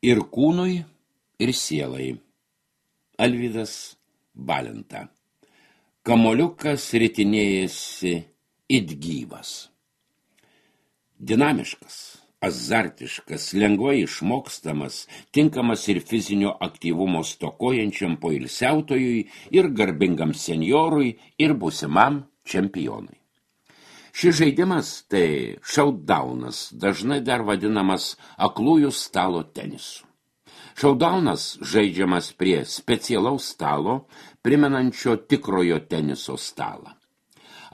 Ir kūnui, ir sielai. Alvydas Balenta. Kamoliukas ritinėjasi it gyvas. Dinamiškas, azartiškas, lengvai išmokstamas, tinkamas ir fizinio aktyvumo stokojančiam poilsiautojui, ir garbingam senjorui, ir būsimam čempionui. Šis žaidimas tai šaudaunas, dažnai dar vadinamas aklųjų stalo tenisu. Šaudaunas žaidžiamas prie specialaus stalo, primenančio tikrojo teniso stalą.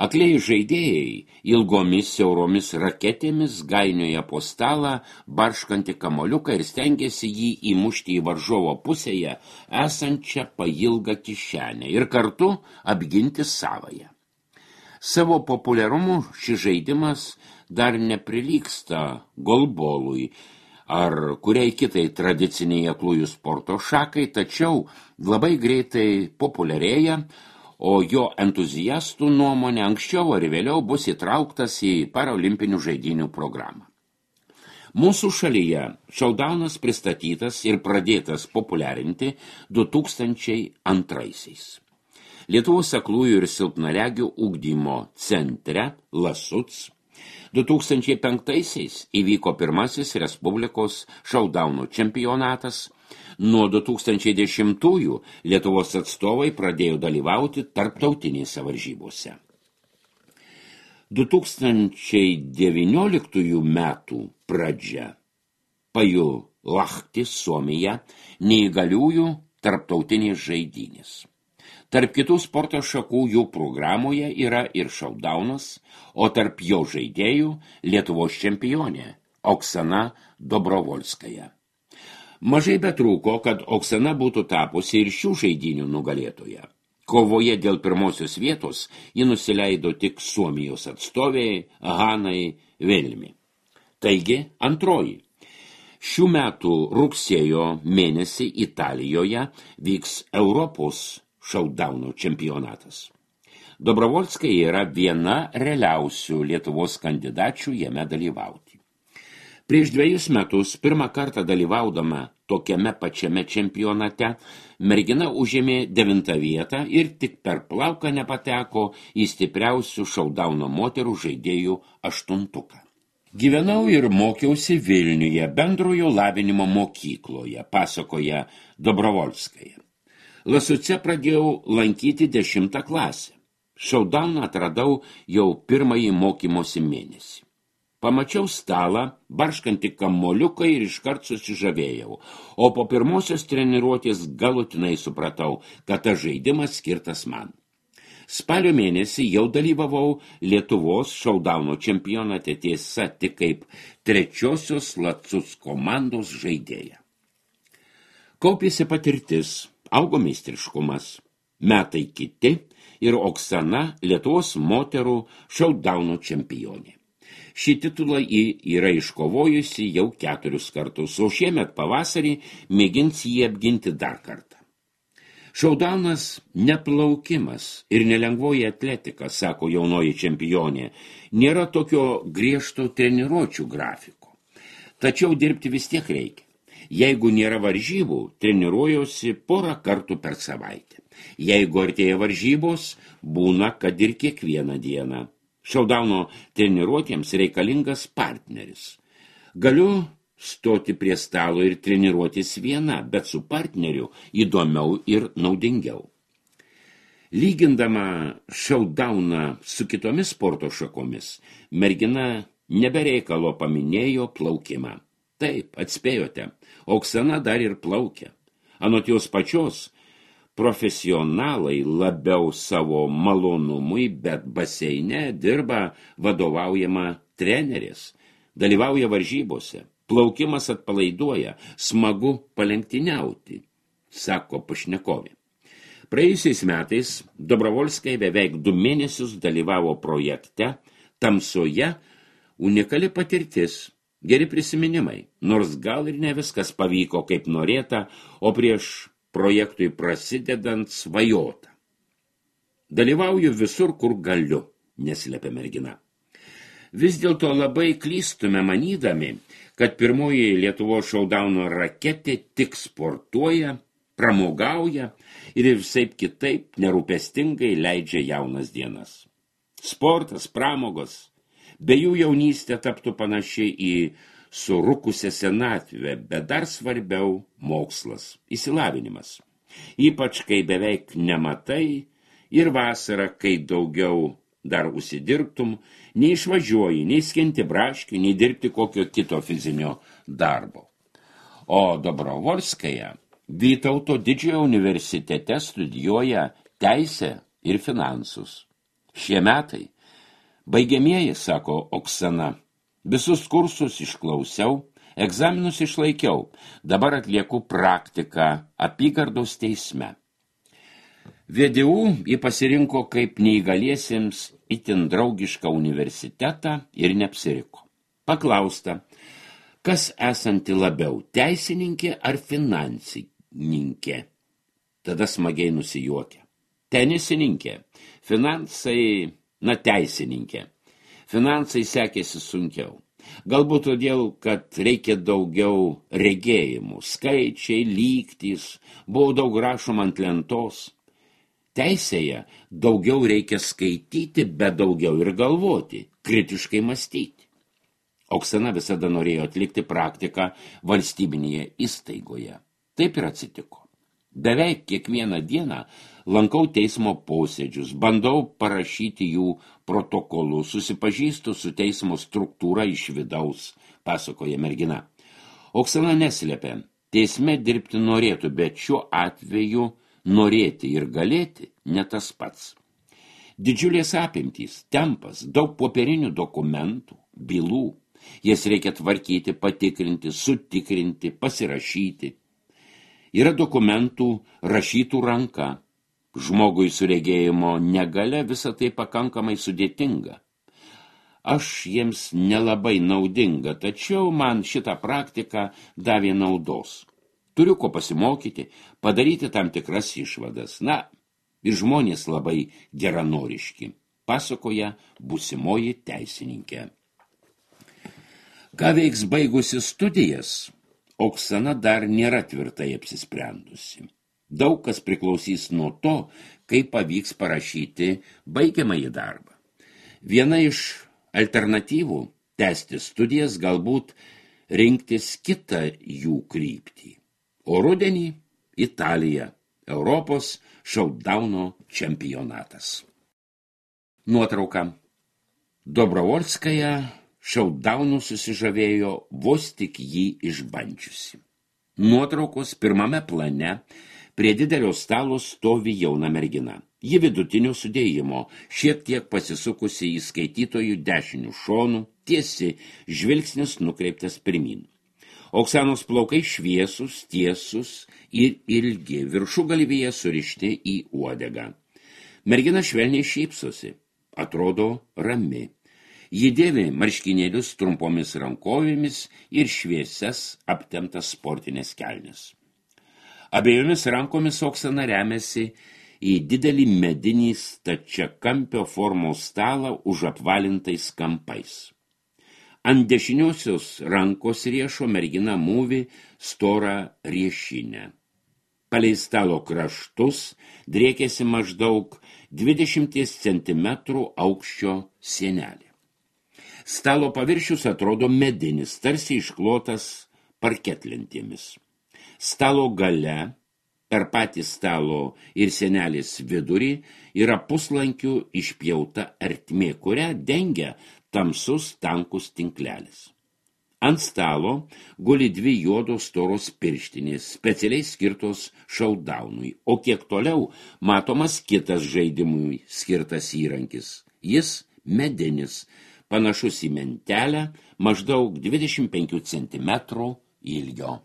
Aklieji žaidėjai ilgomis siauromis raketėmis gainioja po stalą barškantį kamoliuką ir stengiasi jį įmušti į varžovo pusėje esančią pailgą kišenę ir kartu apginti savąją. Savo populiarumu šis žaidimas dar neprilygsta golbolui ar kuriai kitai tradiciniai aklųjų sporto šakai, tačiau labai greitai populiarėja, o jo entuziastų nuomonė anksčiau ar vėliau bus įtrauktas į paralimpinių žaidynių programą. Mūsų šalyje šaudaunas pristatytas ir pradėtas populiarinti 2002-aisiais. Lietuvos aklųjų ir silpnaregių ugdymo centre Lasuc 2005-aisiais įvyko pirmasis Respublikos šaudaunų čempionatas. Nuo 2010-ųjų Lietuvos atstovai pradėjo dalyvauti tarptautinėse varžybose. 2019 metų pradžia Pajulahti, Suomija, neįgaliųjų tarptautinės žaidynės. Tarp kitų sporto šakų jų programoje yra ir šaudaunas, o tarp jo žaidėjų Lietuvos čempionė Oksana Dobrovolskaja. Mažai betrūko, kad Oksana būtų tapusi ir šių žaidynių nugalėtoja. Kovoje dėl pirmosios vietos ji nusileido tik Suomijos atstovei Hanai Velmi. Taigi, antroji. Šių metų rugsėjo mėnesį Italijoje vyks Europos šaudaunų čempionatas. Dobrovolskaja yra viena realiausių Lietuvos kandidačių jame dalyvauti. Prieš 2 metus pirmą kartą dalyvaudama tokiame pačiame čempionate mergina užėmė 9 vietą ir tik per plauką nepateko į stipriausių šaudauno moterų žaidėjų 8-tuką. Gyvenau ir mokiausi Vilniuje bendrojo lavinimo mokykloje, pasakoja Dobrovolskaja. Lasuce pradėjau lankyti 10 klasę. Šaudauną atradau jau pirmąjį mokymosi mėnesį. Pamačiau stalą, barškantį kamoliuką ir iškart susižavėjau, o po pirmosios treniruotės galutinai supratau, kad tas žaidimas skirtas man. Spalio mėnesį jau dalyvavau Lietuvos šaudauno čempionate, tiesa tik kaip 3-osios Lasuc komandos žaidėja. Kaupėsi patirtis. Augo meistriškumas, metai kiti ir Oksana Lietuvos moterų šaudaunų čempionė. Šį titulą ji yra iškovojusi jau 4 kartus, o šiemet pavasarį mėgins jį apginti dar kartą. Šaudaunas neplaukimas ir nelengvoji atletika, sako jaunoji čempionė, nėra tokio griežto treniruočių grafiko. Tačiau dirbti vis tiek reikia. Jeigu nėra varžybų, treniruojuosi porą kartų per savaitę. Jeigu artėja varžybos, būna, kad ir kiekvieną dieną. Šaudauno treniruotėms reikalingas partneris. Galiu stoti prie stalo ir treniruotis viena, bet su partneriu įdomiau ir naudingiau. Lygindama šaudauną su kitomis sporto šakomis, mergina nebereikalo paminėjo plaukimą. Taip, atspėjote, Oksana dar ir plaukia. Anot jos pačios, profesionalai labiau savo malonumui, bet baseine dirba vadovaujama treneris, dalyvauja varžybose, plaukimas atpalaiduoja, smagu palenktyniauti, sako pašnekovė. Praėjusiais metais Dobrovolskaja beveik 2 mėnesius dalyvavo projekte Tamsoje, unikali patirtis. Geri prisiminimai, nors gal ir ne viskas pavyko kaip norėta, o prieš projektui prasidedant svajota. Dalyvauju visur, kur galiu, neslėpia mergina. Vis dėlto labai klystume manydami, kad pirmoji Lietuvos šaudauno raketė tik sportuoja, pramogauja ir visaip kitaip nerūpestingai leidžia jaunas dienas. Sportas, pramogos, be jų jaunystė taptų panaši į surukusią senatvę, bet dar svarbiau mokslas, išsilavinimas. Ypač, kai beveik nematai ir vasarą, kai daugiau dar užsidirbtum, neišvažiuoji, nei skinti braškių, nei dirbti kokio kito fizinio darbo. O Dobrovolskaja Vytauto Didžiojo universitete studijuoja teisę ir finansus. Šie metai baigiamieji, sako Oksana, visus kursus išklausiau, egzaminus išlaikiau, dabar atlieku praktiką apygardos teisme. VDU jį pasirinko kaip neįgaliesiems itin draugišką universitetą ir neapsiriko. Paklausta, kas esanti labiau, teisininkė ar finansininkė? Tada smagiai nusijuokė. Tenisininkė, finansai, teisininkė. Finansai sekėsi sunkiau. Galbūt todėl, kad reikia daugiau regėjimų, skaičiai, lygtys, buvo daug rašoma ant lentos. Teisėje daugiau reikia skaityti, bet daugiau ir galvoti, kritiškai mąstyti. Oksana visada norėjo atlikti praktiką valstybinėje įstaigoje. Taip ir atsitiko. Beveik kiekvieną dieną lankau teismo posėdžius, bandau parašyti jų protokolus, susipažįstu su teismo struktūra iš vidaus, pasakoja mergina. Oksana neslėpė, teisme dirbti norėtų, bet šiuo atveju norėti ir galėti ne tas pats. Didžiulės apimtys, tempas, daug popierinių dokumentų, bylų. Jas reikia tvarkyti, patikrinti, sutikrinti, pasirašyti. Yra dokumentų rašytų ranka. Žmogui su regėjimo negalia visa tai pakankamai sudėtinga. Aš jiems nelabai naudinga, tačiau man šitą praktiką davė naudos. Turiu ko pasimokyti, padaryti tam tikras išvadas. Ir žmonės labai geranoriški, pasakoja būsimoji teisininkė. Ką veiks baigusi studijas, Oksana dar nėra tvirtai apsisprendusi. Daug kas priklausys nuo to, kaip pavyks parašyti baigiamąjį darbą. Viena iš alternatyvų tęsti studijas, galbūt rinktis kitą jų kryptį. O rudenį Italija, Europos šaudauno čempionatas. Nuotrauka. Dobrovolskaja šaudaunų susižavėjo vos tik jį išbandžiusi. Nuotraukos pirmame plane prie didelio stalo stovi jauna mergina. Ji vidutinio sudėjimo, šiek tiek pasisukusi į skaitytojų dešinių šonų, tiesi, žvilgsnis nukreiptas pirmin. Oksanos plaukai šviesus, tiesus ir ilgi, viršugalvyje surišti į uodegą. Mergina švelniai šypsosi, atrodo rami. Ji dėvi marškinėlius trumpomis rankovėmis ir šviesias aptemptas sportinės kelnes. Abiejomis rankomis Oksana remiasi į didelį medinį stačiakampio formos stalą už apvalintais kampais. Ant dešiniosios rankos riešo mergina mūvi storą riešinę. Palei stalo kraštus driekėsi maždaug 20 cm aukščio sienelė. Stalo paviršius atrodo medinis, tarsi išklotas parketlentėmis. Stalo gale, per patį stalo ir sienelės vidurį, yra puslankių išpjauta ertmė, kurią dengia tamsus tankus tinklelis. Ant stalo guli 2 juodos storos pirštinės, specialiai skirtos šaudaunui, o kiek toliau matomas kitas žaidimui skirtas įrankis. Jis medinis, panašus į mentelę, maždaug 25 cm ilgio.